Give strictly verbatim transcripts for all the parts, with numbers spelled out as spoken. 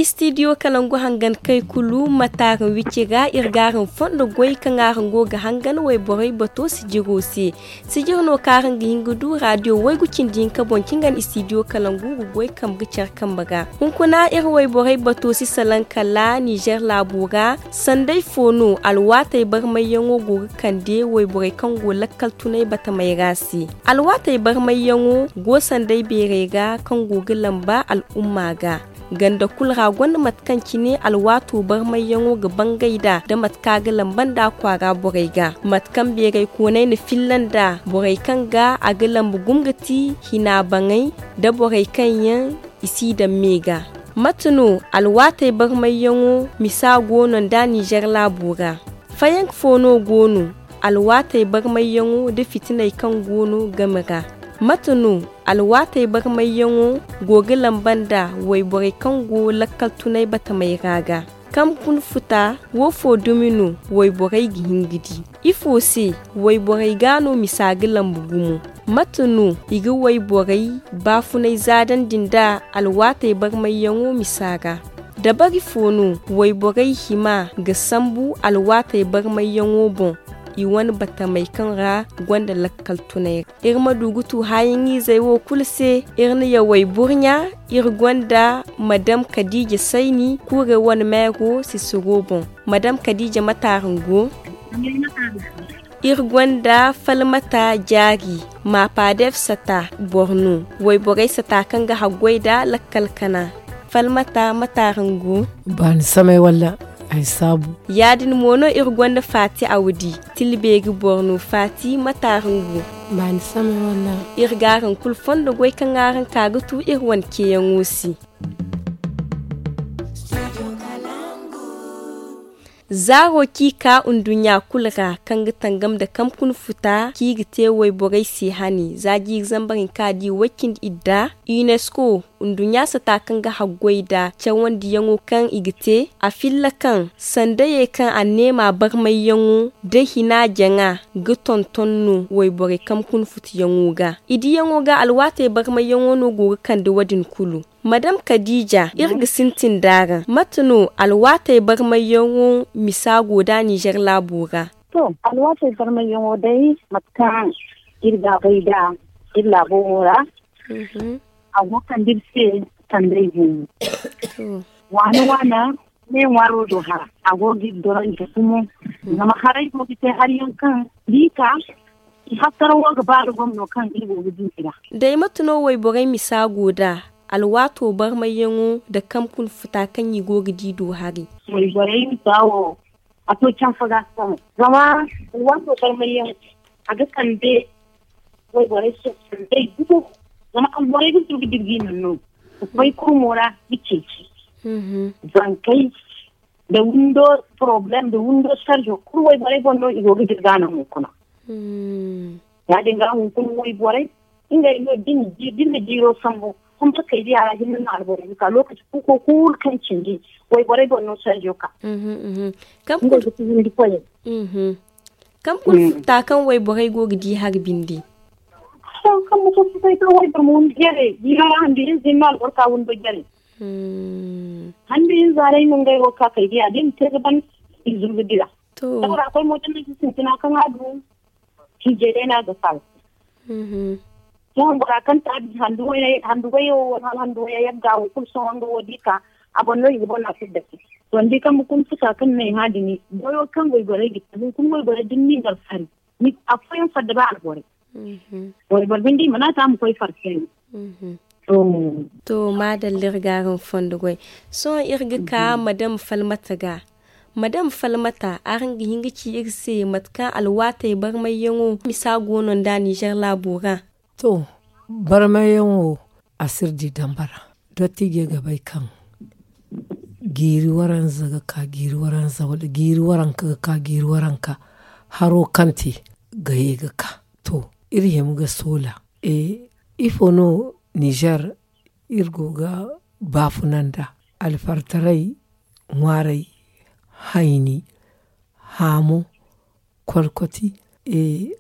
Istidiyo kalangu hangan kay kulu mataaraŋ wicci ra iri g'araŋ fondo goy kaŋ araŋ go ga hangan wayborey bato sijiro se. Sijir no kaŋ araŋ ga hin ga du radiyo waygu cindi hinka boŋ cingan istidiyo kalangu ga goy kambe ga care kambe ra. Hunkuna iri wayborey bato si salaŋ kala nizer laabo ra. Sanday fo no alwaatey barmayyaŋo go ga kande wayborey kaŋ go lakkal tunay batamey ra se. Alwaatey barmayyaŋo go sanday beerey ra kaŋ go ga lamba al'umma ga. Ganda kulu ra gonda mate kaŋ cine alwaato barmayyaŋo ga bangay nd'a da mate kaŋ a ga lamba nd'a kwaara borey ga. Mate kaŋ beeray koonay na filla nd'a borey kaŋ ga a ga lamba gumo ga ti hina baŋay nda borey kaŋ yaŋ i si daŋ me ga. Mate no alwaatey barmayyaŋo misa go no nd'a nizer laabo ra? Fayanka fo no go no alwaatey barmayyaŋo nda fitiney kaŋ go no game ra? Mate no alwaatey barmayyaŋo go ga lamba nda wayborey kaŋ go lakkal tunay batamey ra ga? Kankun futa wo fo dumi no wayborey ga hin ga di? Ifo se wayborey ga no misa ga lamba gumo? Mate no i ga wayborey baafunay zaadandi nda alwaatey barmayyaŋo misa ra? Dabari fo no wayborey hima ga sambu alwaatey barmayyaŋo boŋ i wane batamey kaŋ ra gonda lakkal tunay ra? Iri ma du ga tu haayaŋ-izey wo kulu se. Iri na yawey burɲa. Iri gonda madam kadiija sayni kuurey wane meero sisiro boŋ. Madam kadiija mate araŋ go? Iri gonda falmata jaari. Maapaadef sata boro no. Wayborey sata kaŋ ga haggoy nd'a lakkal kana. Falmata mate araŋ go? Baani samay walla ay saabu. Ya-din mo no iri gonda faati awdi. Tilbeeri boro no faati mate araŋ go? Baani samay walla. Iri ga araŋ kulu fondo goy kaŋ araŋ ka ga tu iri wane ceeyaŋo se. Zaaro kaŋ i ka nduɲɲa kulu ra kaŋ ga tangam nda kamkun futa kaŋ i ga te wayborey se hane za jiiri zambar hinka da i way cindi idda. Unesco nduɲɲa sata kaŋ ga haggoy nda cawandiyaŋo kaŋ i ga te a filla kaŋ sandayey kaŋ anneema barmayyaŋo nda hina jaŋa ga tonton no wayborey kamkun futayaŋo ga. I diyaŋo ga alwaatey barmayyaŋo no go ga kande wo-din kulu. Madam kadiija iri ga sintin nd'araŋ mate no alwaatey barmayyaŋo misa go nd'a nizer laabo ra? To, alwaatey barmayyaŋo day mate kaŋ iri ga a bay nd'a iri laabo wo ra. A go ga kande iri se sanday gumo. Waana waana ne ŋwaaro do hara a go ga iri dorandi gumo. Zama haray go ga te hari yaŋ kaŋ da i ka i hattara wo ga ba da gomno kaŋ iri go ga du i ra. Day mate no wayborey misa go nd'a alwaato barmayyaŋo nda kamkun futa kaŋ i go ga di do hari? Wayborey misa wo a to canfa ga sohõ. Zama alwaato barmayyaŋo a ga kande wayborey se sanday gumo. Zama alborey ga du ga dirgi naŋ no ga koy kurmo ra ga ceeci zankey nda windo poroblem nda windo sarjo kulu wayborey boŋ no i go ga dirga naŋ hunkuna. Ya- din ga hunkuna wayborey ngey no da i na jiiro sambu. Humbakey diya ra hinne no alborey ga ka lokaci kuuko kulu kaŋ cindi wayborey boŋ no sarjo ka. Ngey ga ti windi koyey. Kamkun futa kaŋ wayborey go ga di hari binde. Kamkun futa kaŋ wayboro ma windi jare jiiro ra handu hinza hinne no alboro ka windo jare. Handu hinza ra i ma ngey wo ka kay diya da i ma te ga ban i zuru ga dira. Sabara koy mo da ni ga sintina kaŋ a du hiijay day no a ga faala. Sohõ bora kaŋ taabi handu wayey wala handu wayey yagga wo kulu sohõ nga wo da i ka a boŋ no i ga boŋ a fidda se. To ni di kaŋ bukun futa kaŋ no ay hã din goyo kaŋ wayborey ga te hunkuna wayborey da ni n'i gar fari afooyaŋ fadda ba alborey. Wayboro binde i mana te a ma koy fari se no. To maadalla iri ga araŋ fondo goy. Sohõ iri ga ka madam falmata ga. Madam falmata araŋ ga hin ga ci iri se mate kaŋ alwaatey barmayyaŋo misa go no nd'a nizer laabo ra? To, barmayyaŋo a si iri di dambara. Dottiijey ga bay kaŋ jiiri waranza ga ka jiiri waranza wala jiiri waranka ga ka jiiri waranka haro kaŋ te ga ye ga ka. To, iri hima ga soola. Ifo no nizer iri go ga baafuna nda alfartaray ŋwaaray, hayni, haamo, kolkoti,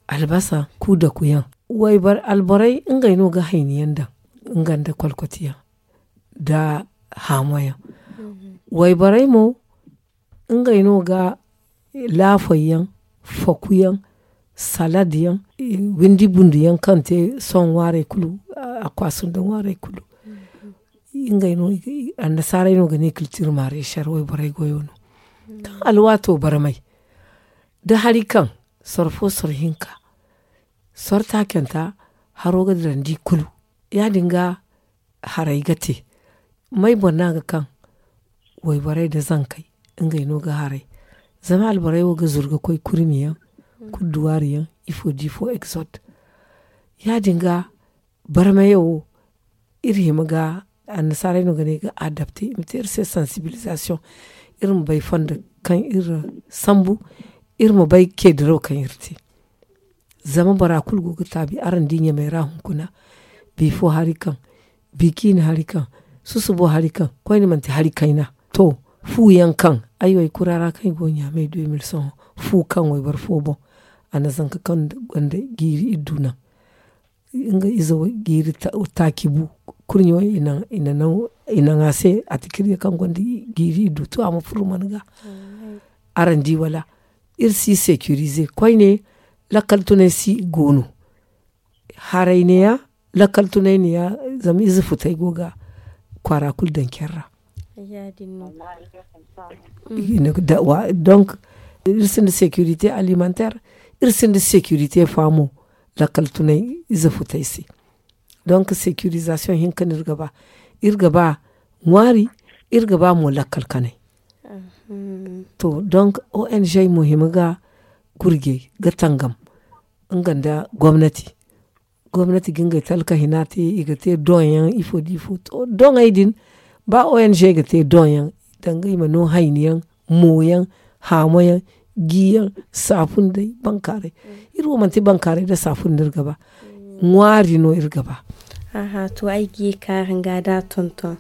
albasa, kuudakuyaŋ. Alborey ngey no ga hayni yaŋ daŋ nga nda kolkotiyaŋ nda haamoyaŋ. Wayborey mo ngey no ga laafoy yaŋ, faku yaŋ, salad yaŋ, windi bundu yaŋ kaŋ te sohõ ŋwaarey kulu. A kwaasu nda ŋwaarey kulu ngey no. Annasaarey no ga ne kiltir maareesar wayborey goyo no. Kaŋ alwaato barmay da hari kaŋ soro fo soro hinka soro taacanta haro ga dirandi kulu. Ya- din ga haray ga te may boro no a ga kaŋ wayborey nda zankey ngey no ga haray. Zama alborey wo ga zuru ga koy kurmi yaŋ, kudduwaari yaŋ, ifo da ifo exot. Ya- din ga barmayaŋ wo iri hima ga annasaarey no ga ne ga adapte i ma te iri se sansibilizasiyoŋ. Iri ma bay fondo kaŋ iri sambu, iri ma bay keediraw kaŋ iri te. Zama bora kulu go ga taabi araŋ di ɲamey ra hunkuna. Bi fo hari kaŋ, bi ciine hari kaŋ, susubo hari kaŋ, koyne manti hari kayna. To, fu yaŋ kaŋ ay wo ay kura ra kaŋ ay go ɲaamey du ay ma iri sohõ, fu kaŋ wayboro fo boŋ a na zanka kaŋ gonda jiiri iddu naŋ. Nga ize wo jiiri taaci bu. Kurɲo i naŋ a se a tikirya kaŋ gonda jiiri iddu to a ma furu mana ga. Araŋ di wala? Iri si sekirize koyne. Lakkal tunay si go no. Haray neeya, lakkal tunay neeya. Zama ize futay go ga kwaara kulu daŋ care ra. Donk iri sinda sekirite alimanter, iri sinda sekirite faamo. Lakkal tunay ize futay se. Donk sekirizasiyoŋ hinka no iri ga ba. Iri ga ba ŋwaari, iri ga ba mo lakkal kanay. To donk ong mo hima ga gurjay ga tangam nga nda gomnati. Gomnati ga ngey talka hina te i ga te doŋ yaŋ ifo da ifo to doŋey din. Ba ong ga te doŋ yaŋ danga i ma no hayni yaŋ, mo yaŋ, haamo yaŋ, gi yaŋ, saafun day bankaaray. Iri wo manti bankaaray nda saafun no iri ga ba. Ŋwaari no iri ga ba. To ay ga ye kaara nga da tonton.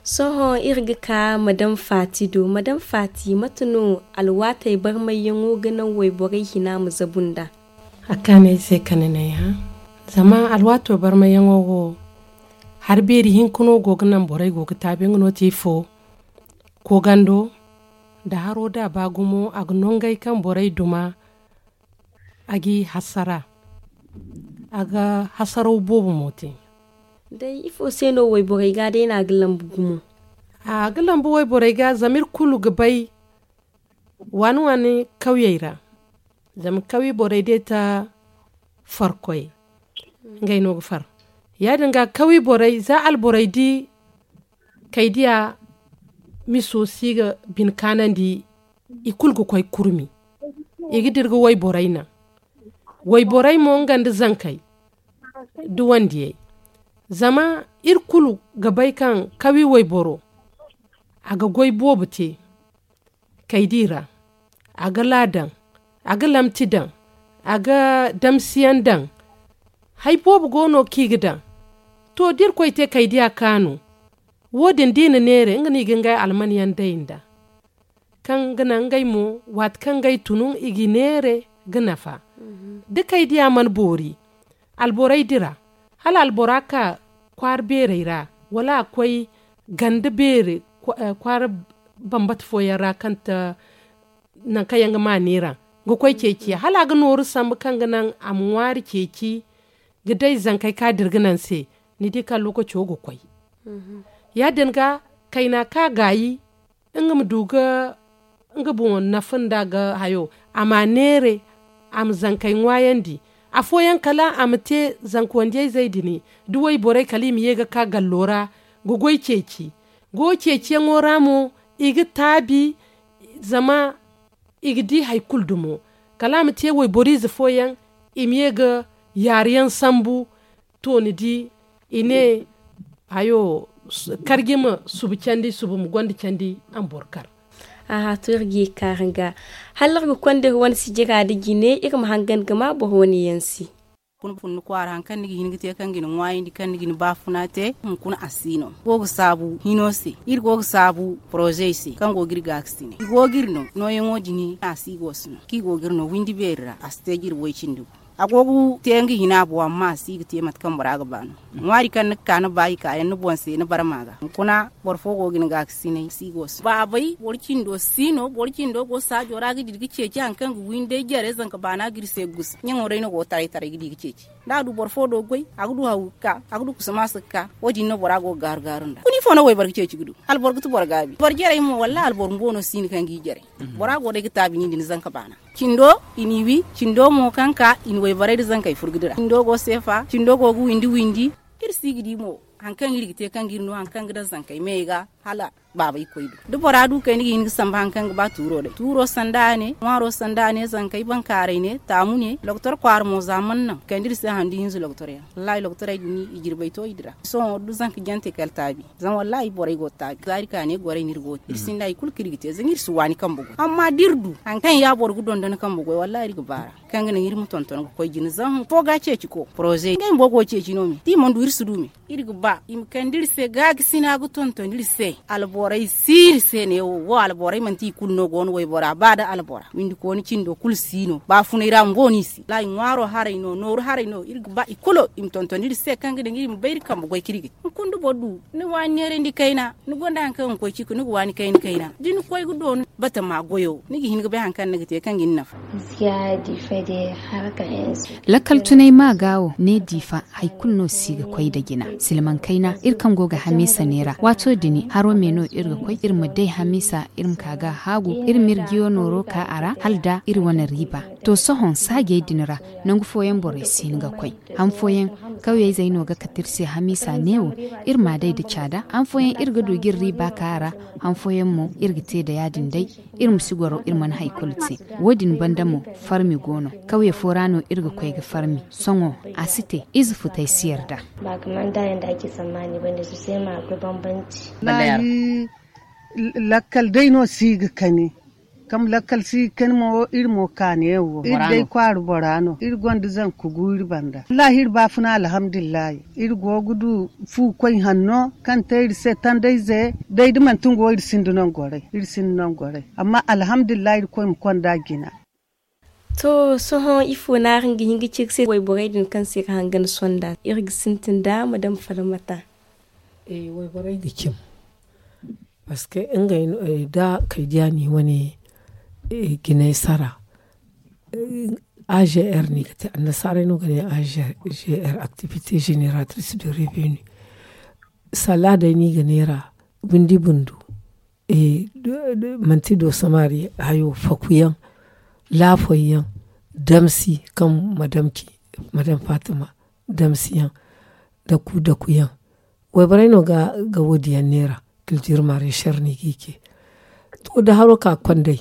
Sohõ iri ga ka madam faati do madam faati mate no? Alwaatey barmayyaŋo ga naŋ wayborey hina ma zabu nd'a. A kaanay se kane no ay hã. Zama alwaato barmayyaŋo wo hari beeri hinka no go ga naŋ borey go ga taabi nga no te ifo. Koogando nda haro da a ba gumo a ga nongay kaŋ borey duma. A g'i hasara a ga hasaraw boobo mo te. Day ifo se no wayborey ga day no a ga lambu gumo? A ga lambu wayborey ga zama iri kulu ga bay waani waani kawyey ra. Zama kawye borey day ta farkoy ngey no ga far. Ya- din ga kawye borey za alborey di kay diya miso si ga bine kaanandi. I kulu ga koy kurmi i ga dira ga wayborey naŋ. Wayborey mo nga nda zankey da wandiyey. Zama iri kulu ga bay kaŋ kawi wayboro a ga goy boobo te kaydi ra. A ga laa daŋ, a ga lamti daŋ, a ga damsiyaŋ daŋ. Hari boobo go no kaŋ i ga daŋ. To da irkoy te kaydiya kaanu wo- din da i na neera nga no i ga ngey almanyaŋ day nd'a. Kaŋ ga naŋ ngey mo waati kaŋ ngey tun i ga i neere ga nafa. Da kaydiya mana boori alborey dira hala albora ka kwaara beerey ra wala a koy ganda beere kwaara bambata fooyaŋ ra kaŋ ta nankaŋ yaŋ ga ma neera ga koy ceeciya hala a ga nooru sambu kaŋ ga naŋ a ma ŋwaari ceeci ga day zankey kaŋ a dira ga naŋ se. Ni di kaŋ lookaco ga koy ya- din ga kayna kaŋ a gaayi nga ma du ga nga boŋo nafa nda ga hayo a ma a neere a ma zankey ŋwaayandi. Afooyaŋ kala a ma te zanka wandiyayzey din da wayborey kala i ma ye ga ka gallo ra ga goy ceeci. Goyo ceeciyaŋo ra mo i ga taabi zama i ga di hari kulu dumo kala a ma te wayboro ize fooyaŋ i ma ye ga yaaruyaŋ sambu. To ni di i ne hayo karji ma subu candi subu ma gonda candi a ma boro kar. Aha to iri ga ye kaara ga hala iri ga konda iri wane sijira nda jine iri ma hangan ga ma boro wane yaŋ se. Hunkuna funni kwaara hari kaŋ ni ga hin ga te kaŋ ga ni ŋwaayandi kaŋ ni ga ni baafuna te hunkuna a si no go ga saabu hino se iri go ga saabu porozey se kaŋ go ga iri gaakasine i go ga iri no nooyaŋo din a si go ga si no kaŋ i go ga iri no windi beeri ra a si te ga iri way cindi gu. A go ga te nga hina a boŋ amma a si ga te mate kaŋ bora ga ba no. Ŋwaari kaŋ ni ga ka ni ba i kaayaŋ ni boŋ se ni barma ga hunkuna boro fo go ga ni gaakasinay si go se baabay boro cindo si no boro cindo go saajo ra ga di ga ceeci hari kaŋ ga wi ni day jare zanka baana ga iri se ga gusa ɲaŋo day no go taray taray ga di ga ceeci. Da a du boro fo do ga goy a ga du haw ga ka a ga du kusa maasa ga ka. Wo- din no bora go ga gaaru gaaru nd'a kuna ifo no wayboro ga ceeci ga du alboro ga ti boro gaabi boro jarey mo wallaahi alboro bumbo no si no kaŋ ga i jarey. Bora go day ga taabi ni nda ni zanka baana cindo i n'i wi cindo mo kaŋ ka i na wayborey nda zankey furo ga dira cindo go seefa cindo go ga windi windi. Iri si ga di mo hari kaŋ iri ga te kaŋ ga iri no hari kaŋ ga daŋ zankey me ga hala baaba ikoy do da bora du kay ni ga hin ga sambu hari kaŋ ga ba tuuro day tuuro sanda a ne ŋwaaro sanda a ne zankey bankaaray ne taamu ne lokotor kwaara mo za mana naŋ kande iri se handu hinza lokotor yaŋ wallaahi lokotorey din i jirbey to i dira sohõ da zanka jante kala taabi. Zama wallaahi borey go ga taabi za iri ka ne gorey no iri go ga te iri sinda hari kulu kaŋ iri ga te zama iri si waani kambe goy amma da iri du hari kaŋ ya boro ga dondon kambe goy wallaahi iri ga baar'a kaŋ ga naŋ iri ma tonton ga koy jina zama fo ga ceeci ko poroze ngey bumbo go ga ceeci no me da i mana du iri si du me. Iri ga ba i ma kande iri se gaakasina ga tonton iri se alborey si iri se neewo wo alborey manti i kulu no go no waybora ba nda albora windikooni cindo kulu si no baafunay ra bumbo no i si wallaahi ŋwaaro haray no nooru haray no iri ga ba i kulu i ma tonton iri se kaŋ ga daŋ iri ma bay iri kambe goy kaŋ iri ga te hunkuna da boro du ni waani neerandi kayna ni gonda hari kaŋ ga koy ciiko ni ga waani kayna kayna da ni koy ga doonu batama goyo ni ga hin ga bay hari kaŋ ni ga te kaŋ ga ni nafa. Lakkal tunay ma ga wo ne diifa hari kulu no si ga koy nda jina silmaŋ kayna iri kaŋ go ga hamiisa neera waato din haro me no iri ga koy iri ma day hamiisa iri ma ka ga haagu iri ma iri jiyo nooro ka a ra hala da iri wane riiba. To sohõ saajey din ra nangu fooyaŋ borey si hin ga koy han fooyaŋ kawyey zey no ga kate iri se hamiisa neewo iri m'a day nda caada han fooyaŋ iri ga du ga iri riiba ka a ra han fooyaŋ mo iri ga te nda ya- din day. Iri ma si goro iri mana hari kulu te wo- din banda mo farmi go no kawye fo ra no iri ga koy ga farmi sohõ a si te ize futay si yarda. Ba ga manda yaŋ da ake sammaani banda su se ma akwai bambanci. Lakkal day no si ga kani kam lakkal si ga kani mo iri mo kaani yaŋ wo iri day kwaara bora no iri gonda zanka gu iri banda wallaahi iri baafuna alhamdulillahi. Iri go ga du fu koy hanno kaŋ te iri se tandayze day da manti nga wo iri sinda nongoray iri sinda nongoray. Amma alhamdulillahi iri koy ma konda jina. To sohõ ifo no araŋ ga hin ga ci ga se wayborey din kaŋ se iri ga hangan sonda iri ga sintin da madam faramata? Wayborey ga cim parceque ngey no da kay diya ni wane jinay sara. Agr no i ga te annasaarey no ga ne agr activité génératrice de revenu. Salla day no i ga neera windi bundu. Manti do samari hayo fakuyaŋ laafoyyaŋ damsi kaŋ madamki madam fatima damsiyaŋ daku dakuyaŋ. Wayborey no ga wo- din yaŋ neera kiltir mare sher no i ga i ce. To da haro ka konday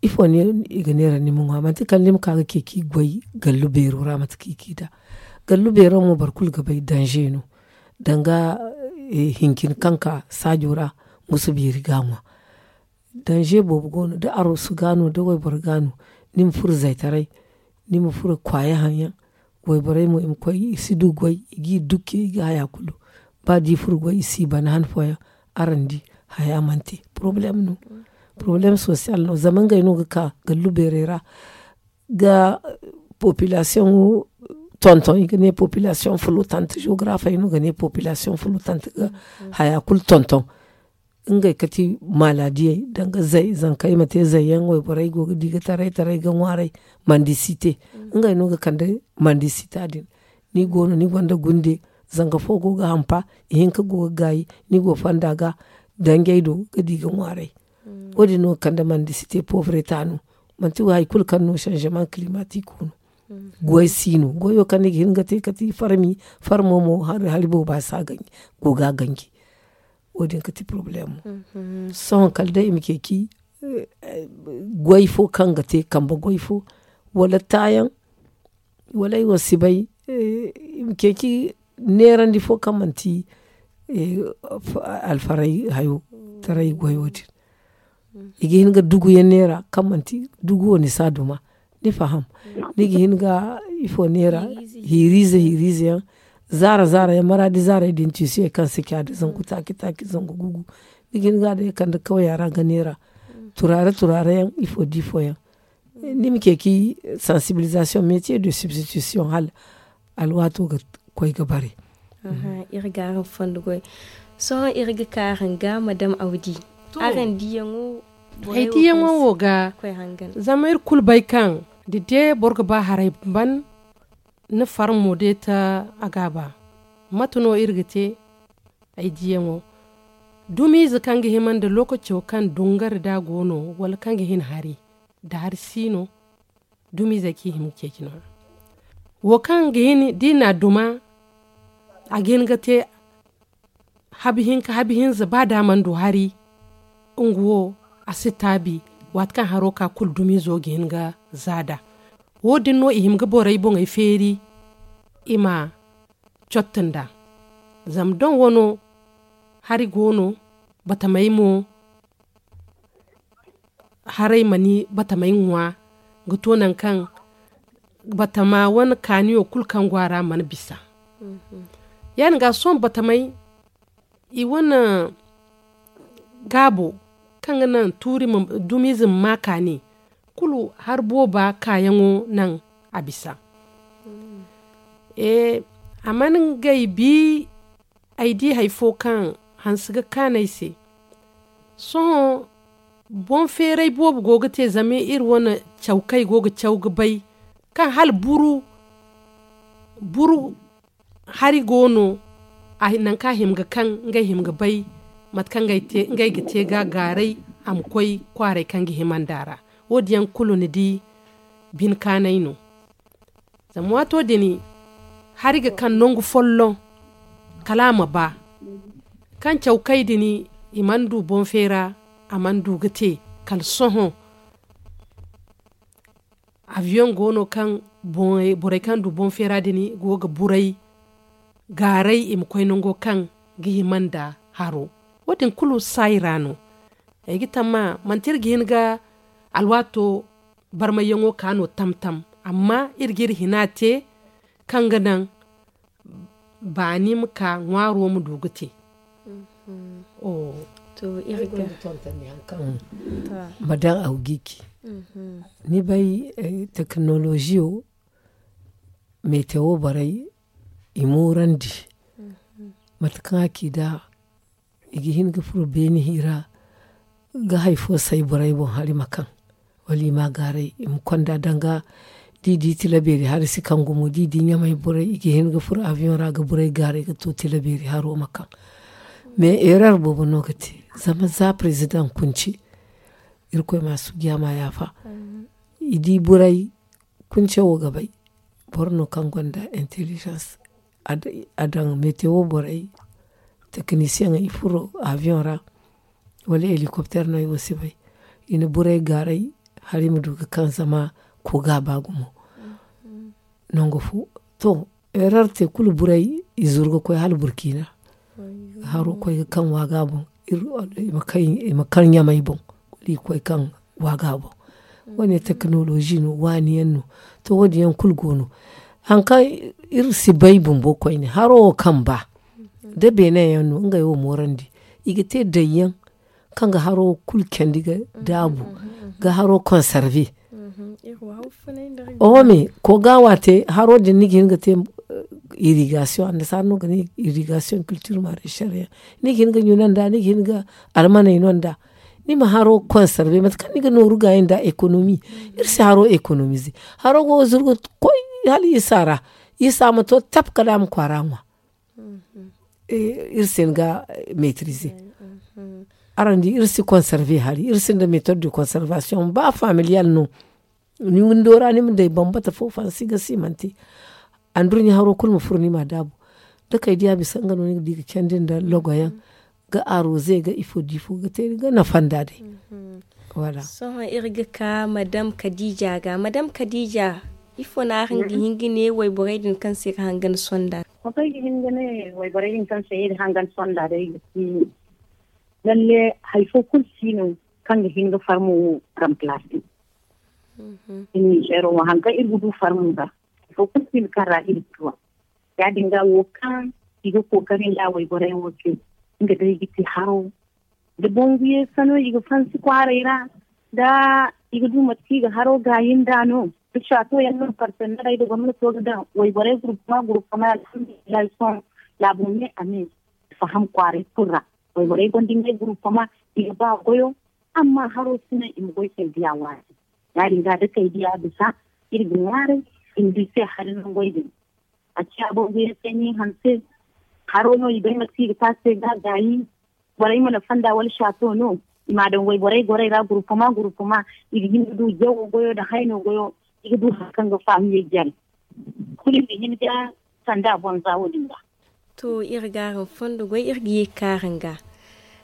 ifo no i ga neera ni ma ŋwa manti kala ni ma ka ga ce ka i goy gallu beero ra mate kaŋ i ga i da. Gallu beero mo boro kulu ga bay danze no danga hincin kaŋ ka saajo ra musu beeri ga a ŋwa. Danze boobo go no da aroosu ga no da wayboro ga no ni ma furo zaytaray ni ma furo kwaaya haŋ yaŋ. Wayborey mo i ma koy i si du goy i ga i dukke i ga haya kulu. Ba da i furo goy i si i bana han fooyaŋ araŋ di haya mana te porobalem no. Porobalem sosiyal no zama ngey no ga ka gallu beerey ra ga popilasiyoŋo tonton i ga ne popilasiyoŋ fulotante geografey no ga ne popilasiyoŋ fulotante ga haya kulu tonton. Ngey kati maladiyey danga zay zankey ma te zay yaŋ wayborey go ga di ga taray taray ga ŋwaaray mandisite. Ngey no ga kande mandisita din ni go no ni gonda gunde zanga fo go ga hampa ihinka go ga gaayi ni go fonda ga danjey do ga di ga ŋwaaray. Wo- din no ga kande mandisite povreta no manti wo hari kulu kaŋ no sanzeman kilimatik no. Goy si no goyo kaŋ ni ga hin ga te kati farmi farmo mo hari booba si a ganji go ga a ganji. Wo- din kati porobalemo. Sohõ kala day i ma ceeci goy fo kaŋ ga te kambe goy fo wala taayaŋ wala ay wo si bay. I ma ceeci neerandi fo kaŋ manti alfaray hayo taray goyo din. I ga hin ga dugu yaŋ neera kaŋ manti dugu wo ni si a duma. Ni faham ni ga hin ga ifo neera hiiriize hiiriize yaŋ zaara zaara yaŋ maraadi zaaray din tiisiyey kaŋ si ca da zangu taaci taaci zangu gugu. Ni ga hin ga a day kande kawya ra ga neera turaare turaare yaŋ ifo da ifo yaŋ. Ni ma ceeci sensibilisation métier de substitution hala alwaato ga koy ga bare. Iri ga araŋ fondo goy. Sohõ iri ga ka araŋ ga madam awdi. Araŋ diyaŋo ay diyaŋo wo ga zama iri kulu bay kaŋ da de boro ga ba haray ban ni farmo de ta a ga ba. Mate no iri ga te ay diyaŋo dumiize kaŋ ga hima nda lookaco kaŋ dungari da a go no wala kaŋ ga hin hari nda hari si no. Dumiizey kaŋ i hima ga ceeci no- ya wo kaŋ ga hin da i na a duma a ga hin ga te habi hinka habi hinza ba da a mana du hari. Nga wo a si taabi waati kaŋ haro ka kulu dumiizo ga hin ga za nd'a. Wo- din no i hima ga borey boŋey feeri i ma cotti nd'a. Zama doŋ wano hari go no batamey mo haray ma ni batamey ŋwa ga to nangu kaŋ batama wane kaaniyo kulu kaŋ go a ra mana bisa. Ya- din ga sohõ batamey i wane gaabo kaŋ ga naŋ tuuri dumiize ma ma kaani kulu hari booba kaayaŋo naŋ a bisa. A mana ngey bi ay di hari fo kaŋ hanse ga kaanu ay se. Sohõ boŋ feeray boobo go ga te zama iri wane caw kaŋ i go ga caw ga bay kaŋ hala buru buru hari go no. Nangu kaŋ a hima ga kaŋ ngey hima ga bay mate kaŋ ngey ga te ga gaaray a ma koy kwaaray kaŋ ga hima nd'a ra. Wo- din yaŋ kulu ni di bine kaanay no. Zama waato din hari ga kaŋ nangu folloŋ kala a ma ba kaŋ caw kay din i mana du boŋ feera a mana du ga te kala sohõ. Abiyoŋ go no kaŋ borey kaŋ du boŋ feera din go ga buray gaaray i ma koy nango kaŋ ga hima nda haro. Wo- din kulu saayi ra no. Ay ga tamma manti iri ga hin ga alwaato barmayyaŋo ka no tam-tam amma iri ga iri hina te kaŋ ga naŋ baani ma ka ŋwaaro ma du ga te. To iri ga tonton ni hari kaŋ ma daŋ awgiki. Ni bay tekinoloziyo metewo borey i moorandi mate kaŋ a ci da i ga hin ga furo beeni hira ga hari fo say borey boŋ hari ma kaŋ wala i ma a gaaray i ma konda danga. Da i di tilabeeri hari si kaŋ gumo da i di ɲamay borey i ga hin ga furo abiyoŋ ra ga borey gaaray ga to tilabeeri haro ma kaŋ. Mais erer boobo no ga te zama za president kunci irkoy ma a suujiya ma a yaafa. I di borey kunce wo ga bay boro no kaŋ gonda intelligence a daŋ metewo borey tekinisiyeŋ i furo abiyoŋ ra wala helikopter no ay wo si bay. I na borey gaaray hari ma du ga kaŋ zama ko ga a ba gumo. Nangu fo to erarte kulu borey i zuru ga koy hala burkina haro koy ga kaŋ waaga boŋ i ma kaŋ ɲamay boŋ wala i koy kaŋ waaga boŋ. Wane tekinolozi no waani yaŋ no to wo- din yaŋ kulu go no. Hari kaŋ iri si bay bumbo koyne haro wo kaŋ ba da beene yaŋ no ngey wo moorandi i ga te dayyaŋ kaŋ ga haro kulu candi ga daabu ga haro konsarve. Oho me ko ga waate haro din ni ga hin ga te irrigation annasaara no ga ne irrigation culture marechal yaŋ ni ga hin ga ɲuna nda ni ga hin ga almaney no nda ni ma haro konsarve mate kaŋ ni ga nooru gaayi nda ekonomi. Iri si haro ekonomize haro go ga zuru ga koy hala isa ra isa ma to tap kala a ma kwaara ŋwa. Iri si hin ga metrize araŋ di iri si konsarve hari iri sinda metod de konsarvasiyoŋ ba familiyal no. Ni windo ra ni ma day bambata fo fansi ga si manti andurɲa haro kulu ma furo ni ma daabu da kay diya bisa nga no ni ga di ga candi nda logoyaŋ ga aroze ga ifo da ifo ga te ga nafa nda day. Sohõ iri ga ka madam kadija ga madam kadija ifo no araŋ ga hin ga ne wayborey din kaŋ se iri hangan sonda? Sohõ ay ga hin ga ne wayborey din kaŋ se iri hangan sonda day ga si lalle hari fo kulu si no kaŋ ga hin ga farmo wo ramplase. Iri ninzeero wo hari kaŋ iri ga du farmo ga hari fo kulu si no kaŋ ra iri ga duwa. Ya- din ga wo kaŋ i ga kookari nda wayborey wo se nga day ga te haro da bangu yeesano i ga fansi kwaaray ra da I ga du mate kaŋ i ga haro gaayi nd'a no. Da saato yaŋ no partenerey nda gomnato ga daŋ wayborey gurupama gurupama alhamdulillahi sohõ. Laabo me a me faham kwaaray kulu ra. Wayborey gonda ngey gurupama i ga ba goyo. Amma haro si naŋ i ma goy kay diya waati. Ya- din ga da kay diya bisa iri ga ŋwaaray i ma du i se hari nangoy din. A ciya boŋ ga iri se ni hanse. Haro no i bay mate kaŋ i ga te a se ga gaayi. Borey mana fonda wala saato no. I m'a daŋ wayborey gorey ra gurupama gurupama. I ga hin ga du jawo goyo nda hayno goyo. I ga du hari kaŋ ga fahamiyey jare. Kulu i ma hin ga sanda boŋ za wo- din ga. To, iri ga araŋ fondo goy iri ga ye ga ka araŋ ga.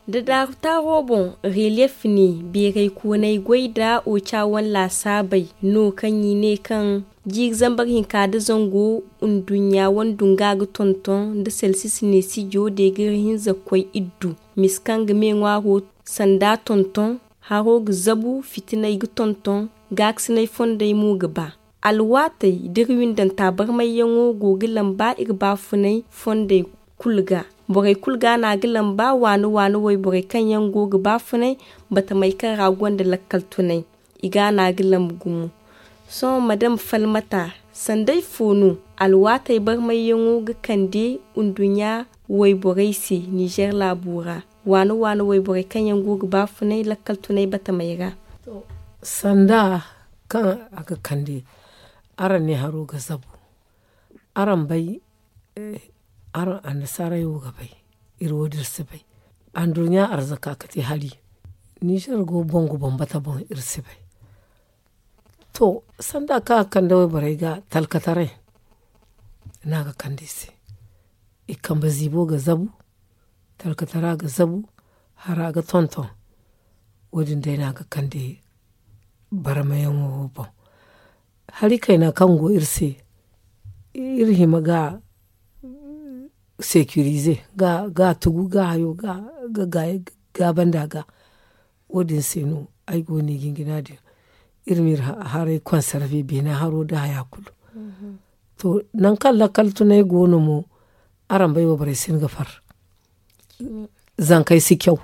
Da daaru taaro boŋ, reliyef ne beeray koonay goy nda oca wane laasaabey no kaŋ i ne kaŋ jiiri zambar hinka nda zango nduɲɲa wane dunga ga tonton nda selsis ne sijo deegir hinza ga koy iddu. Misa kaŋ ga me ŋwaaro sanda tonton, haro ga zabu, fitinay ga tonton, gaakasinay fondey mo ga ba. Alwaatey da iri windanta barmayyaŋo go ga lamba iri baafunay fondey kulu ga. Borey kulu ga no a ga lamba waani waani wayborey kaŋ yaŋ go ga baafunay batamey kaŋ ra gonda lakkal tunay. I ga no a ga lamba gumo. Sohõ madam falmata, sanday fo no alwaatey barmayyaŋo ga kande nduɲɲa wayborey se nizer laabo ra? Waani waani wayborey kaŋ yaŋ go ga baafunay lakkal tunay batamey ra. Sanda kaŋ a ga kande, araŋ ne haro ga zabu. Araŋ bay, araŋ annasaarey wo ga bay. Iri wo din iri si bay. Anduɲɲa arzaka ga te hari. Nizer go boŋ ga bambata boŋ iri si bay. To, sanda kaŋ a ga kande wayborey ga talkataray, no a ga kande i se. I kambe ziibo ga zabu, talkatara ga zabu, hara ga tonton. Wo- din day no a ga kande barmayaŋo wo boŋ. Hari kayna kaŋ go iri se, iri hima ga sekirize, ga tugu ga hayo ga gaabandi a ga. Wo- din se no ay go no i ga hin ga ne a din. Iri ma iri haray konsarve beena haro nda haya kulu. To, nangu kaŋ lakkal tunay go no mo, araŋ bay wayborey si hin ga far. Zankey si caw.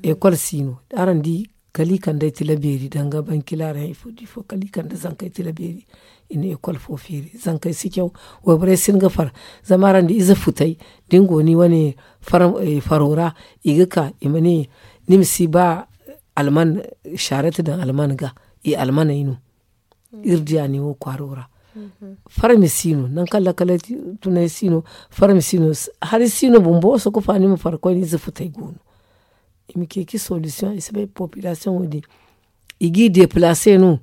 Ekol si no. Araŋ di kala i kande ay tila beeri danga bankila ra ifo da ifo kala i kande zankey tila beeri. I na ekol fo feeri zankey si caw. Wayborey si hin ga far. Zama araŋ di ize futay da ni go ni wane faro ra, i ga ka i ma ne ni ma si ba alman, saarat daŋ alman ga. I almaney no. Iri diya ne wo kwaaro ra. Farmi si no nangu kaŋ lakalay tunay si no. Farmi si no. Hari si no bumbo wo sokofa ni ma far koyne ize futay go no. I ma ceeci solisiyoŋ i si bay popilasiyoŋo din. I g'i depilase no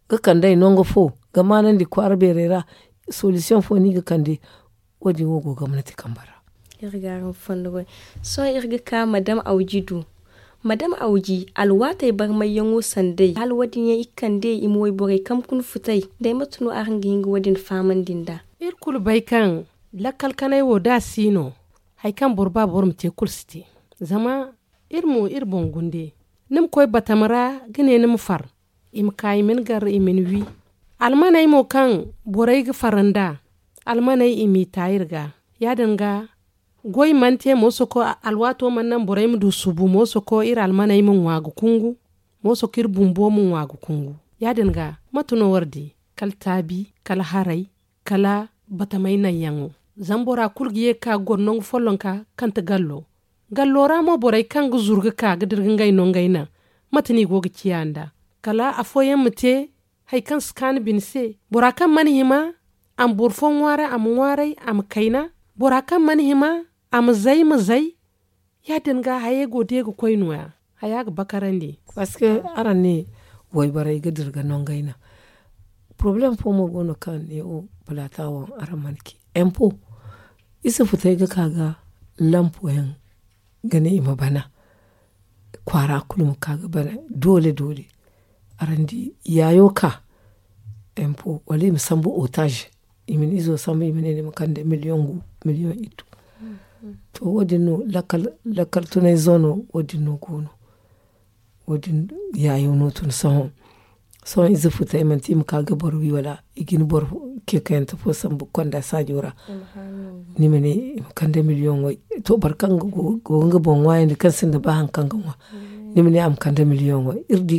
ga kande ay nangu fo ga maanandi kwaara beerey ra. Solisiyoŋ fo no i ga kande. Wo- din wo go gomnati kambe ra. Iri ga araŋ fondo goy. Sohõ iri ga ka madam awji du. Madam awji alwaatey barmayyaŋo sanday hala wo- din yaŋ i ga kande i ma wayborey kambe kuna futay. Day mate no araŋ ga hin ga wo- din fahamandi nd'a? Iri kulu bay kaŋ lakkal kanay wo da a si no, hari kaŋ boro ba boro ma te kulu si te. Zama iri mo iri boŋ gunde. Ni ma koy batama ra ga ne ni ma far. I ma ka i ma ni gar i ma ni wi. Almaney mo kaŋ borey ga far nd'a, almaney i m'i ta iri ga. Ya- din ga goy mana te moosoko alwaato mana naŋ borey ma du subu moosoko iri almaney ma ŋwa ga kungu. Moosoko iri bumbo ma ŋwa ga kungu. Ya- din ga mate no war di? Kala taabi, kala haray, kala batamay naŋyaŋo. Zama bora kulu ga ye ga ka ga goro nangu follonka kaŋ ti gallo. Gallo ra mo borey kaŋ ga zuru ga ka ga dira ga ngey no ngey naŋ. Mate no i go ga ciya nd'a? Kala afooyaŋ ma te hari kaŋ si kaanu bine se. Bora kaŋ mana hima a ma boro fo ŋwaaray a ma ŋwaaray a ma kayna. Bora kaŋ mana hima a ma zay ma zay. Ya- din ga hayey go de ga koy nooya. Haya ga bakarandi. Parceque araŋ ne wayborey ga dira ga no ngey naŋ. Porobalem fo mo go no kaŋ ne wo palaata wo araŋ mana ci. Empo ize futey ga ka ga lampoyaŋ ga ne i ma bana. Kwaara kulu ma ka ga bana doole doole. Araŋ di yaayo ka empo wala i ma sambu otage. I ma ni izo sambu i ma ne ni ma kande miliyoŋ gu miliyoŋ iddu. To wo- din no lakkal tunay zoono wo- din no go no. Wo- din yaayo no tun sohõ. Sohõ ize futay manti i ma ka ga boro wi wala i ga ni boro kekayante fo sambu konda saajo ra. Ni ma ne i ma kande miliyoŋ way. To boro kaŋ go ga boŋ ŋwaayandi kaŋ sinda ba hari kaŋ ga ŋwa, ni ma ne a ma kande miliyoŋ way. Iri di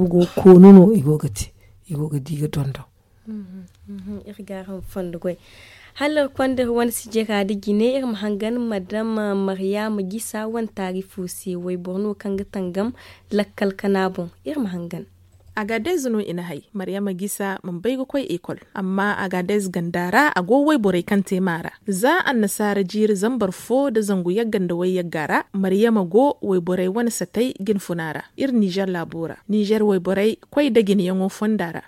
boobo go ga koonu no i go ga te. I go ga di ga dondon. Iri ga araŋ fondo goy. Hala iri konda iri wane sijira da jine iri ma hangan madam maryama gisa wane taarifo se wayboro no kaŋ ga tangam lakkal kana boŋ. Iri ma hangan. Agadez no i na hay maryama gisa mana bay ga koy ekol. Amma agadez ganda ra a go wayborey kaŋ te maara za annasaara jiiri zambar fo nda zangu yagga nda wayyagga ra. Maryama go wayborey wane satay ga ni funa ra iri nizer laabo ra. Nizer wayborey koy nda jineyaŋo fonda ra.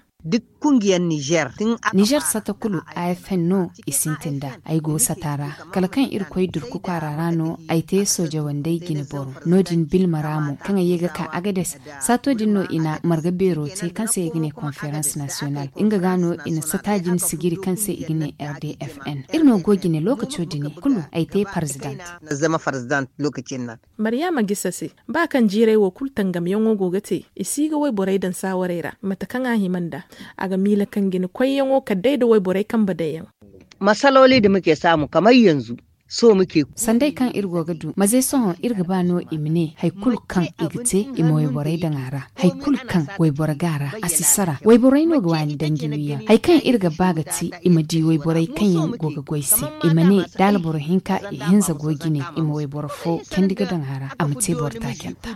Nizer sata kulu a f n no i sintin nd'a. Ay go sata ra kala kaŋ iri koy durku kwaara ra no ay te sooje wandey jine boro. No- din bilma ra mo kaŋ ay ye ga ka agades. Saato din no i na marga beero te kaŋ se i ga ne konferans nasiyonal nga ga no i na sata din sijiri kaŋ se i ga ne r d f n. Iri no go jine lookaco din kulu ay te parzidant. Maryama gisa se ba kaŋ jiirey wo kulu tangamyaŋo go ga te i si ga wayborey daŋ saawarey ra mate kaŋ a hima nd'a. A ga miila kaŋ jine koyyaŋo kala day nda wayborey kambe daŋ yaŋ. Masaloli da muke saamu kamar yanzu. Sohõ muke. Sanday kaŋ iri go ga du maze sohõ iri ga ba no i ma ne hari kulu kaŋ i ga te i ma wayborey daŋ a ra. Hari kulu kaŋ wayboro ga a ra a si sara wayborey no ga waani danji wiyaŋ hari kaŋ iri ga ba ga ti i ma di wayborey kaŋ yaŋ go ga goy se. I ma ne da alboro hinka ihinza go jine i ma wayboro fo candi ga daŋ a ra a ma te boro taacanta.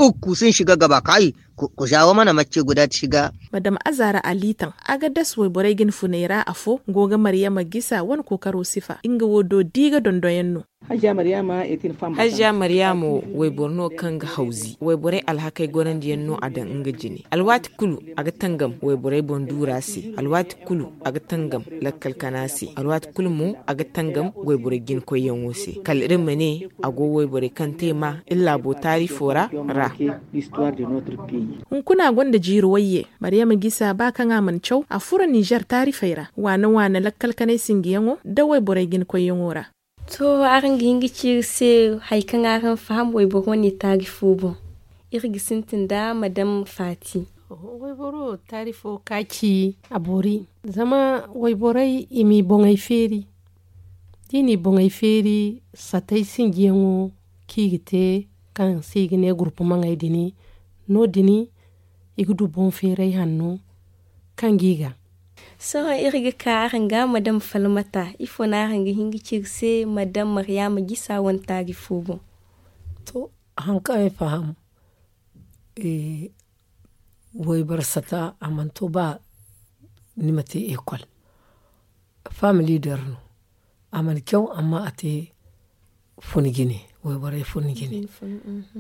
Ukku sin shiga gaba kayi. Ku zawa mana macce guda ti shiga. Madam azara alitan agadas wayborey ga ni funay ra afo go ga maryama gisa wane kookaro sifa nga wo do di ga dondoyaŋ no. Hajja maryama wo wayboro no kaŋ ga hawzi wayborey alhakey gorandiyaŋ no a daŋ nga jine alwaati kulu a ga tangam wayborey boŋ duura se alwaati kulu a ga tangam lakkal kana se alwaati kulu mo a ga tangam wayborey jine koyyaŋo se kala iri ma ne a go wayborey kaŋ te ma iri laabo taarifo ra. Hunkuna gonda jiiri wayye maryama gisa ba kaŋ a mana caw a furo nizer taarifey ra waana waana lakkal kanay sinjiyaŋo nda wayborey jine koyyaŋo ra. To araŋ ga hin ga ci iri se hari kaŋ araŋ faham wayboro wane taarifo boŋ. Iri ga sintin nda madam faati. Wayboro taarifo ka ci a boori zama wayborey i m'i boŋey feeri. Da i n'i boŋey feeri satey sinjiyaŋo kaŋ i ga te kaŋ se i ga ne gurpumaŋey din no- din i ga du boŋ feeray hanno kaŋ ga i ga. Sohõ iri ga ka araŋ ga madam falmata ifo no araŋ ga hin ga ci iri se madam maryama gisa wane taarifo boŋ. To haŋ kaŋ ay faham wayboro sata a mana to ba ni ma te ekol. Famili der no a mana caw amma a te funa jine wayborey funa jine.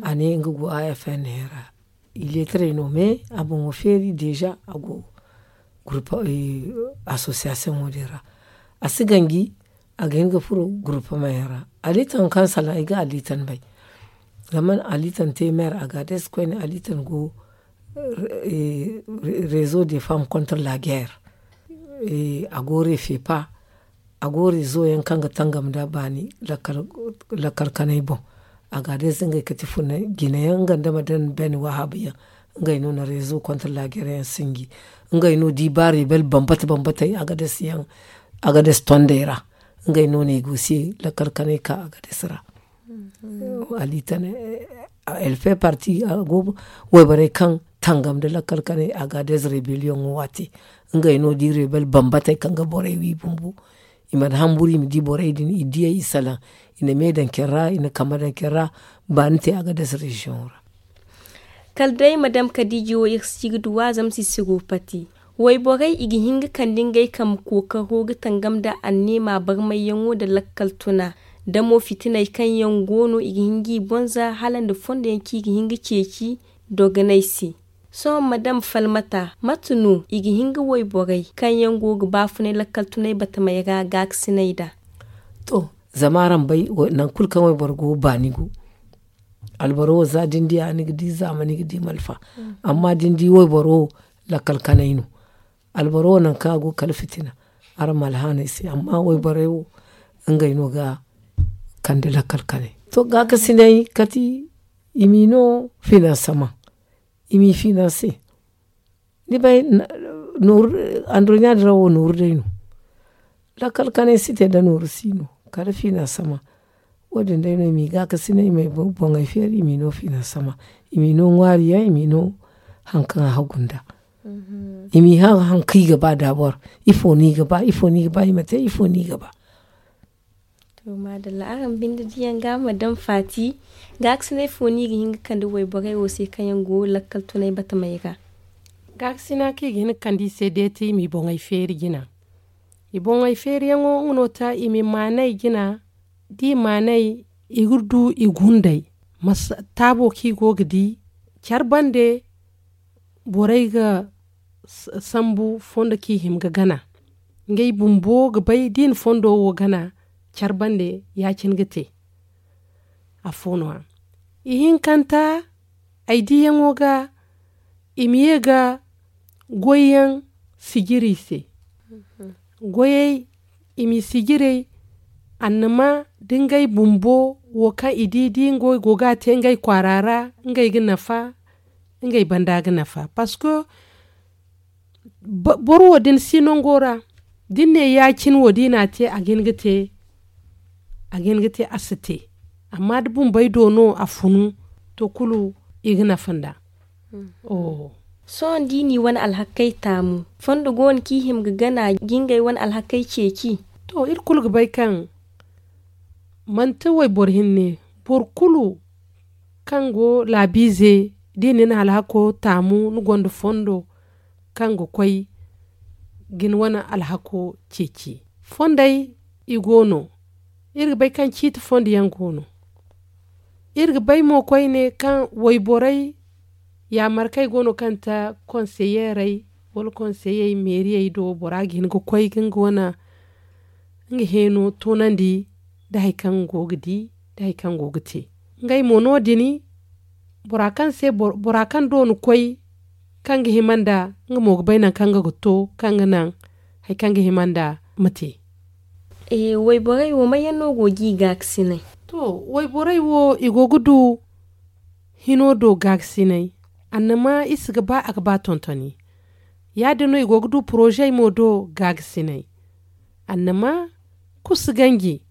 A ne nga go a f n ra ileetarey no me a boŋo feeri deeza a go gurupa asosiyasiyoŋo din ra. A si ganji a ga hin ga furo gurupa mayaŋ ra. Alitan kaŋ salaŋ ay ga alitan bay zama alitan te meer a ga a day si koyne alitan go rezo de femme contre la guerre. A go refepa a go rezo yaŋ kaŋ ga tangam nda baani lakkal kanay boŋ. A ga a day si ngey kati funa jina yaŋ nga nda ma daŋ bene wahaabu yaŋ ngey no na rezo contre la guerre yaŋ sinji. Ngey no di ba rebel bambata bambatey a ga day si yaŋ a ga day si tondey ra. Ngey no no i go se lakkal kanay ka a ga day si ra. Alitan elfe parti a go wayborey kaŋ tangam nda lakkal kanay a ga day si rebellion waati. Ngey no di rebel bambatey kaŋ ga borey wi bumbo. I mana hamburu i ma di borey din i diyey i salaŋ i na me daŋ care ra i na kambe daŋ care ra. Baani te a ga day si reziyoŋo ra. Kala day madam kadiiji wo iri si ga duw'a zama si si go pati. Wayborey i ga hin ga kande ngey kambe kookaro ga tangam nda anneema barmayyaŋo nda lakkal tuna. Da mo fitiney kaŋ yaŋ go no i ga hin g'i bonza hala nda fondo yaŋ kaŋ i ga hin ga ceeci dogoney se. Sohõ madam falmata mate no i ga hin ga wayborey kaŋ yaŋ go ga baafunay lakkal tunay batamey ra gaakasiney nd'a? To zama araŋ bay nangu kulu kaŋ wayboro go baani go. Alboro wo za da ni di a ni ga di zaama ni ga di malfa. Amma da ni di wayboro wo lakkal kanay no. Alboro wo nangu kaŋ a go kala fitina. Araŋ ma alhaanay se amma wayborey wo ngey no ga kande lakkal kanay. To gaakasinay kati i m'i no finansamaŋ i m'i finanse. Ni bay andurɲa din ra wo nooru day no. Lakkal kanay si te da nooru si no kala fiina sama. Wo- din day no i m'i gaakasinay i m'ay boŋey feeri i m'i no fiina sama. I m'i no ŋwaari yaŋ i m'i no hari kaŋ a hagu nda i m'i haŋ hari kaŋ i ga ba da boro. Ifo no i ga ba ifo no i ga ba i ma te ifo no i ga ba? To maadalla araŋ binde diyaŋ ga ma daŋ faati. Gaakasinay fo no i ga hin ga kande wayborey wo se kaŋ yaŋ go lakkal tunay batamey ra? Gaakasina kaŋ i ga hin ga kande i se deetay i m'i boŋey feeri jina. I boŋey feeriyaŋo nga no ta i m'i maanay jina. Da i maanay i ga du i gundey taabo kaŋ i go ga di care bande. Borey ga sambu fondo kaŋ i hima ga gana ngey bumbo ga bay da i na fondo wo gana care bande ya- cine ga te. Afo no- ya ihinkanta ay diiyaŋo ga i ma ye ga goyyaŋ sijiri i se. Goyey i m'i sijirey annama da ngey bumbo wo kaŋ i di da ngey go ga a te ngey kwaara ra ngey ga nafa. Ngey banda ga nafa parceque boro wo da ni si nango ra da ni ne ya- cine wo da i n'a te a ga hin ga te a si te. Amma da bumbey do no a funu to kulu i ga nafa nd'a. Sohõ da i n'i wane alhakey taamu fondo go no kaŋ i hima ga gana ga ngey wane alhakey ceeci. To iri kulu ga bay kaŋ manti wayboro hinne boro kulu kaŋ go laabiize da i na ni alhako taamu ni gonda fondo kaŋ ga koy ga ni wane alhako ceeci. Fondey i go no iri ga bay kaŋ ciiti fondo yaŋ go no. Iri ga bay mo koyne kaŋ wayborey yaamarkey go no kaŋ ta konseyeerey wala konseyey meeriyey do bora ga hin ga koy ga nga wane nga heeno toonandi nda hari kaŋ nga go ga di nda hari kaŋ go ga te. Ngey mo no- din bora kaŋ se bora kaŋ do ni koy kaŋ ga hima nda nga mo ga bay nangu kaŋ nga ga to kaŋ ga naŋ hari kaŋ ga hima nda ma te. Wayborey wo may yaŋ no go ga i gaakasinay? To wayborey wo i go ga du hino do gaakasinay. Annama i si ga ba a ga ba tontoni ya- din no i go ga du porozey mo do gaakasinay. Annama kusu ganji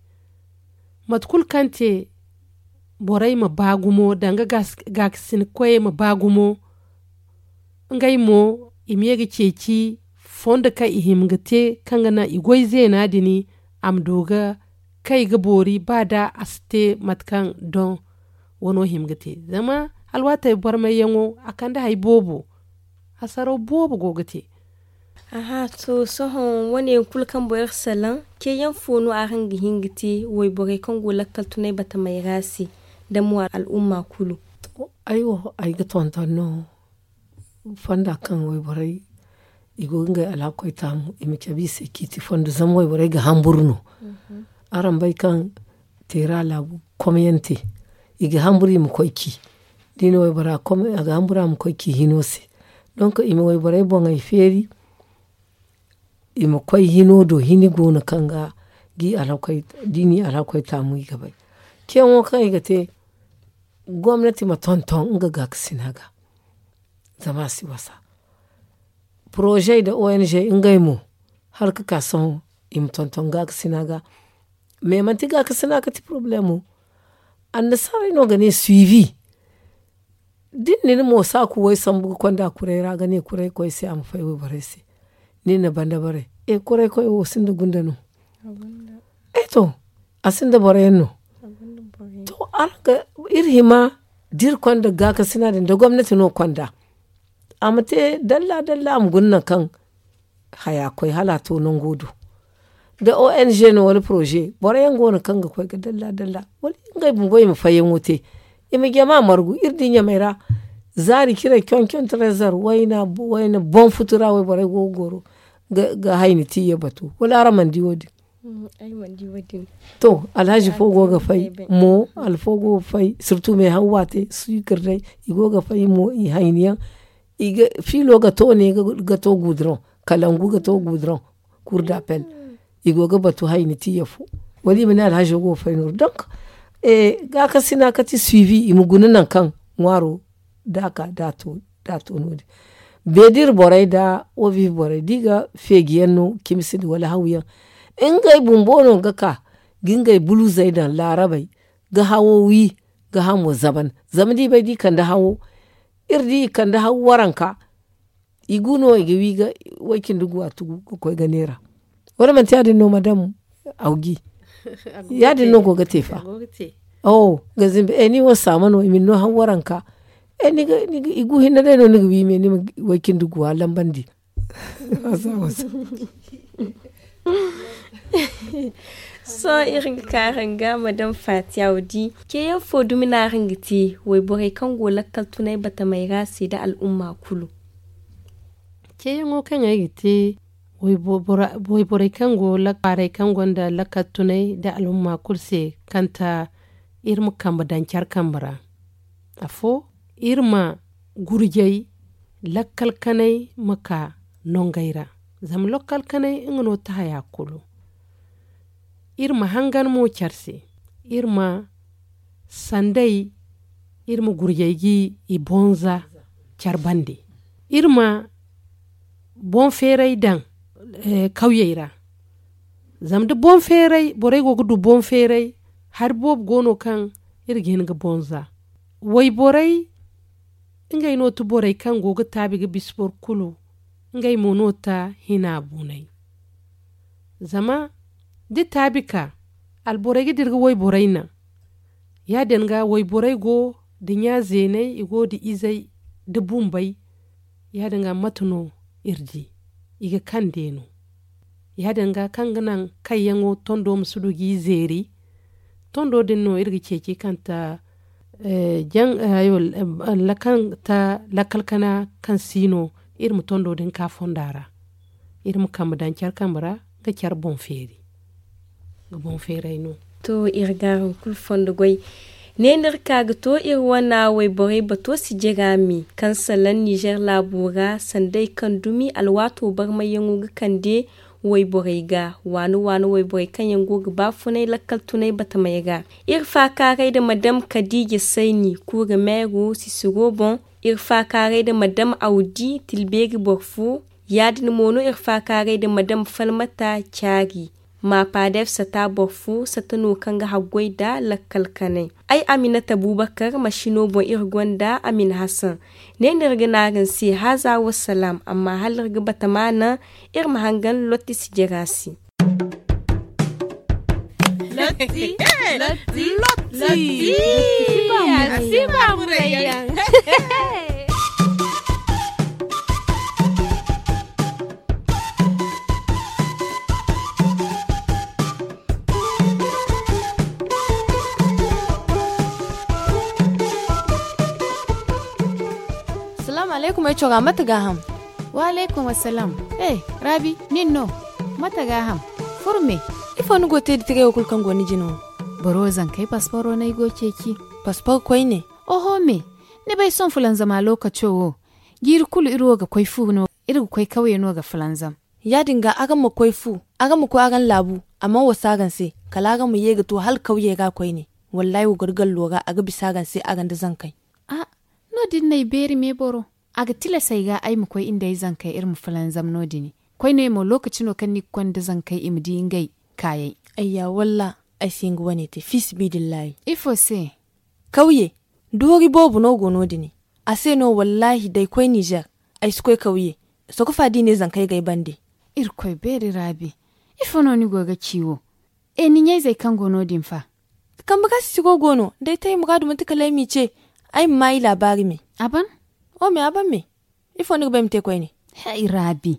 mate kulu kaŋ te borey ma ba gumo danga gaakasinkoyey ma ba gumo. Ngey mo i ma ye ga ceeci fondo kaŋ i hima ga te kaŋ ga naŋ i goy zeena din a ma du ga kay ga boori ba da a si te mate kaŋ doŋ wano hima ga te. Zama alwaatey barmayyaŋo a kande hari boobo hasaraw boobo go ga te. Aha to sohõ wane yaŋ kulu kaŋ boro salaŋ ceeyaŋ fo no araŋ ga hin ga te wayborey kaŋ go lakkal tunay batamey ra se da mo al'umma kulu? Ay wo ay ga tonton no fonda kaŋ wayborey i go ga ngey alhakoy taamu i ma cabe i se ciiti fondo zama wayborey ga hamburu no. Araŋ bay kaŋ teera laabu komyante i ga hamburu i ma koy ci da i na waybora a ga hamburu a ma koy ci hino se. Donk i ma wayborey boŋey feeri i ma koy hino do hini go no kaŋ ga da i n'i alhakoy taamu i ga bay. Ceeyaŋo kaŋ i ga te gomnati ma tonton nga gaakasina ga zama a si wasa. Poroze nda ong ngey mo hala ga ka sohõ i ma tonton gaakasina ga. Mais manti gaakasina ga ti poroblemo. Annasaarey no ga ne suivi da ni na ni mo saaku way sambu ga konda kuray ra ga ne kuray koy se a ma fay wayborey se. Ni na banda baray e kuray koy wo sinda gunda no? E to a sinda boro yaŋ no. To araŋ ga iri hima da iri konda gaakasina din da gomnati no konda a ma te dalla dalla a ma guna nangu kaŋ haya koy hala a to nango do. Da ong no wala poroze boro yaŋ go no kaŋ ga koy ga dalla dalla wala ngey bumbo i ma fayyaŋo te. I ma jama margu iri di ɲamey ra zaari ciray conconto rezer wayna boŋ futu ra wayborey go ga goro ga hayni tiiya batu wala araŋ mana di wo- din? To alhazi fo go ga fay mo alfo go ga fay sirtu me hawwa te suukir day i go ga fay mo i hayni yaŋ. Fiilo ga to ne ga to guduroŋ kalangu ga to guduroŋ. Kur da pel i go ga batu hayni tiiya fo wala i ma ne alhazo go ga fay nooru donk. Gaakasina kati suivi i ma guna nangu kaŋ ŋwaaro da a ka da a to no- din. Beedir borey da oviv borey da i ga feeji yaŋ no cimisi nda wala haw yaŋ Ngey bumbo no ga ka ga ngey buluzey daŋ laarabey ga hawo wi ga hamo zaban. Zama da i bay da i kande hawo iri di i kande hawo waranka. I gu no i ga wi ga way-cindi guwa tugu ga koy ga neera. Wala manti ya- din no madam awgi? Ya- din no go ga te fa. Ga zimbi ni wo saama no i ma ni no hawo waranka. I gu hinne day no ni ga wi me ni ma way-cindi guwa lambandi. Sohõ iri ga ka araŋ ga madam fatiya wo di ceeyaŋ fo dumi no araŋ ga te wayborey kaŋ go lakkal tunay batamey ra se nda al'umma kulu. Ceeyaŋo kaŋ ay ga te wayborey kaŋ go kwaarey kaŋ gonda lakkal tunay nda al'umma kulu se, kanta iri ma kambe daŋ care kambe ra. Afo iri ma gurjay lakkal kanay ma ka nongey ra. Zama lakkal kanay nga no ti haya kulu. Iri ma hangan mo care se. Iri ma sanday iri ma gurjay ga i bonza care bande. Iri ma boŋ feeray daŋ kawyey ra. Zama da boŋ feeray borey go ga du boŋ feeray hari boobo go no kaŋ iri ga hin ga bonza. Wayborey ngey no ti borey kaŋ go ga taabi ga bisa boro kulu. Ngey mo no ta hina bunay. Zama da taabi ka alborey ga dira ga wayborey naŋ. Ya- din ga wayborey go nda ɲa zeeney i go nda izey nda bumbey. Ya- din ga mate no iri di i ga kande no. Ya- din ga kaŋ ga naŋ kayyaŋo tondo ma si du ga i zeeri. Tondo din no iri ga ceeci kaŋ ta lakkal kana kaŋ si no iri ma tondo din ka fonda ra. Iri ma kambe daŋ care kambe ra ga care boŋ feeri. Ga boŋ feeray no. To iri ga araŋ kulu fondo goy. Ne no iri ka ga to iri wane wayborey bato sijira me kaŋ salaŋ nizer laabo ra sanday kaŋ dumi alwaato barmayyaŋo ga kande wayborey ga waani waani wayborey kaŋ yaŋ go ga baafunay lakkal tunay batamey ra. Iri faakaaray nda madam kadiija sayni kuura meero sisiro boŋ. Iri faakaaray nda madam awdi tilbeeri boro fo. Ya- din mo no iri faakaaray nda madam falmata caari. Maapaadef sata boro fo sata no kaŋ ga haggoy nda lakkal kanay. Ay aminata buubakar masino boŋ iri gonda amin hasan. Ne no iri ga ne araŋ se haaza wa salaam amma hala iri ga bata ma naŋ iri ma hangan lotti sijira se. Lotti. Lotti. Lotti. Lotti. Lotti. Lotti. Lotti. Lotti. Lotti. Salaamu alaykum ay cora mate gaaham? Wa alaykum assalaam. He, raabi nin no? Mate gaaham? Furme. Ifo ni go ga te nda tirey wo kulu kaŋ go ni jine wo? Boro wo zankey pasporo no ay go ga ceeci. Paspor koyne? Oho me. Ni bay sohõ fulanzama lookaco wo jiiri kulu iri wo ga koy fu no iri ga koy kawye no ga fulanzam. Ya- din ga araŋ ma koy fu, araŋ ma koy araŋ laabu. A mana wasu araŋ se kala araŋ ma ye ga to hala kawyey ra koyne. Wallaahi wa goro gallo ra a ga bisa araŋ se araŋ nda zankey. A no- din no ay beeri meeboro. A ga tilas ay ga ay ma koy iri nda ay zankey iri ma fulanzam no- din. Koyne mo lookaci no kaŋ ni ga konda zankey i ma di ngey kaayey. Ayya walla ay si hin ga wane te fiisabilillahi. Ifo se? Kawye. Doori boobo no go no- din. A se no wallaahi da ay koy nizer ay si koy kawye. Sokofa da i ne zankey ga ay bande. Irkoy beeri raabi. Ifo no ni go ga ci wo? E ni ɲayzey kaŋ go no- din fa? Kambe ga sisiro go no da ay te ay muraadu manti kala ay m'i ce. Ay ma ma i laabaari me. A ban? O me a ban me. Ifo ni ga ba ay ma te koyne? Hay raabi.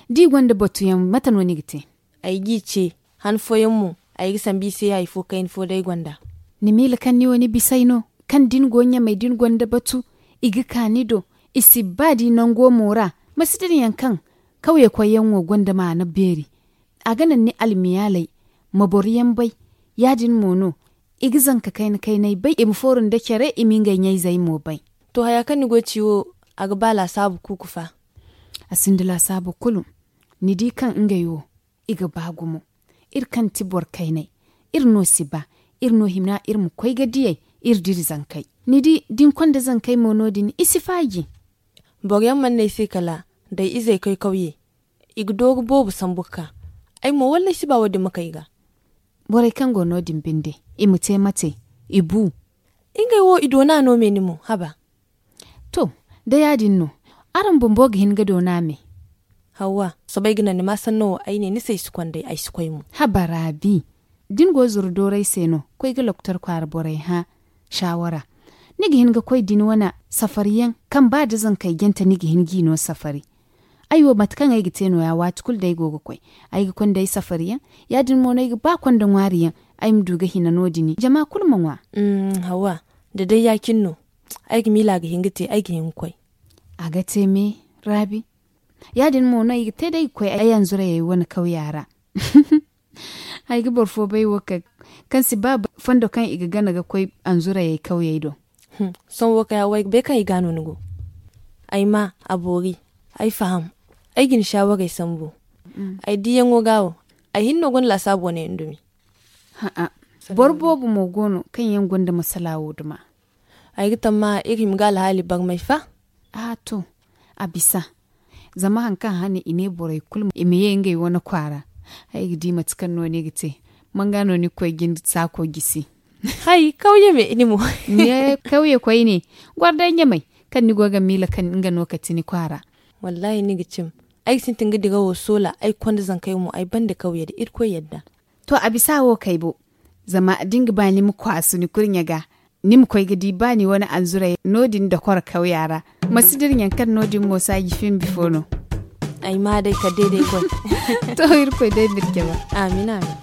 Da i gonda batuyaŋ mate no ni ga te? Ay g'i ce. Han fooyaŋ mo ay ga sambu i se hari fo kayna fo day gonda. Ni miila kaŋ ni wo ni bisay no kaŋ da ni go ɲamey da ni gonda batu i ga ka ni do. I si ba da i nango mo ra. Ma si dirayaŋ kaŋ kawye koyyaŋo gonda maana beeri. A ga naŋ ni almiyaaley ma boroyaŋ bay. Ya- din mo no i ga zanka kayna kaynay bay i ma fooru nda care i ma ngey ɲayzey mo bay. To haya kaŋ ni go ga ci wo a ga ba laasaabu kuuku fa? A sinda laasaabu kulu. Ni di kaŋ ngey wo i ga ba gumo. Iri kaŋ ti boro kaynay iri no si ba. Iri no hima iri ma koy ga diyey iri dira zankey. Ni di da ni konda zankey mo no- din i si faaji. Boroyaŋ mana ne ay se kala da ay izey koy kawye i ga dooru boobo sambu ga ka. Ay mo wallay si ba wo- din ma kay ga. Borey kaŋ go no- din binde, i ma te mate, i bu. Ngey wo i doona no me ni mo haba. To, da ya- din no, araŋ bumbo ga hin ga doona me. Hawa, soobay ga naŋ ni ma sanno wo ay ne ni se ay si konday ay si koy mo. Haba raabi, da ni go zuru dooray se no, koy ga loktor kwaara borey hã, saawara. Ni ga hin ga koy da ni wane safariyaŋ, kaŋ ba da zankey jante ni ga hin g'i no safari. Ay wo mate kaŋ ay ga te no- ya waati kulu day go ga koy. Ay ga konda ay safariyaŋ, ya- din mo no ay ga ba konda ŋwaariyaŋ, ay ma du ga hina no- din jama kulu ma ŋwa. Hawa, da day ya- cine no, ay ga miila a ga hin ga te ay ga hin ga koy. A ga te me, raabi. Ya- din mo no ay ga te day ga koy ay anzurayey wane kawya ra. Ay ga boro fo bay wo kaŋ si ba fondo kaŋ i ga gana ga koy anzurayey kawyey do. Sohõ wo kay hawa ay ga bay kaŋ ay ga no ni go. Ay ma a boori, ay faham, ay ga ni saawarey sambu. Ay diiyaŋo ga wo, ay hinne no gonda laasaabu wane yaŋ dumi. Boro boobo mo go no kaŋ yaŋ gonda masala wo duma. Ay ga tamma iri hima ga alhaali barmay fa. A to, a bisa. Zama hari kaŋ hane i ne borey kulu i ma ye ngey wane kwaara. Ay ga di mate kaŋ no ni ga te. Manga no ni ga koy jinde saako gisi. Hay kawye me ni mo. Ne kawye koyne, goro day ɲamay, kaŋ ni go ga miila kaŋ nga no kati ni kwaara. Wallahi ni ga cim. Ay ga sintin ga dirawo soola ay konda zankey mo ay banda kawye da irkoy yadda. To a bisa wo kay bo. Zama da ni ga ba ni ma kwaasu ni kurɲe ga, ni ma koy ga di ba ni wane anzuray no- din dokoro kawya ra. Ma si dira ɲaŋ kaŋ no- din mo saaji fimbi fo no. Ay ma day kala day day koy. To irkoy day ma iri jabe. Amin amin.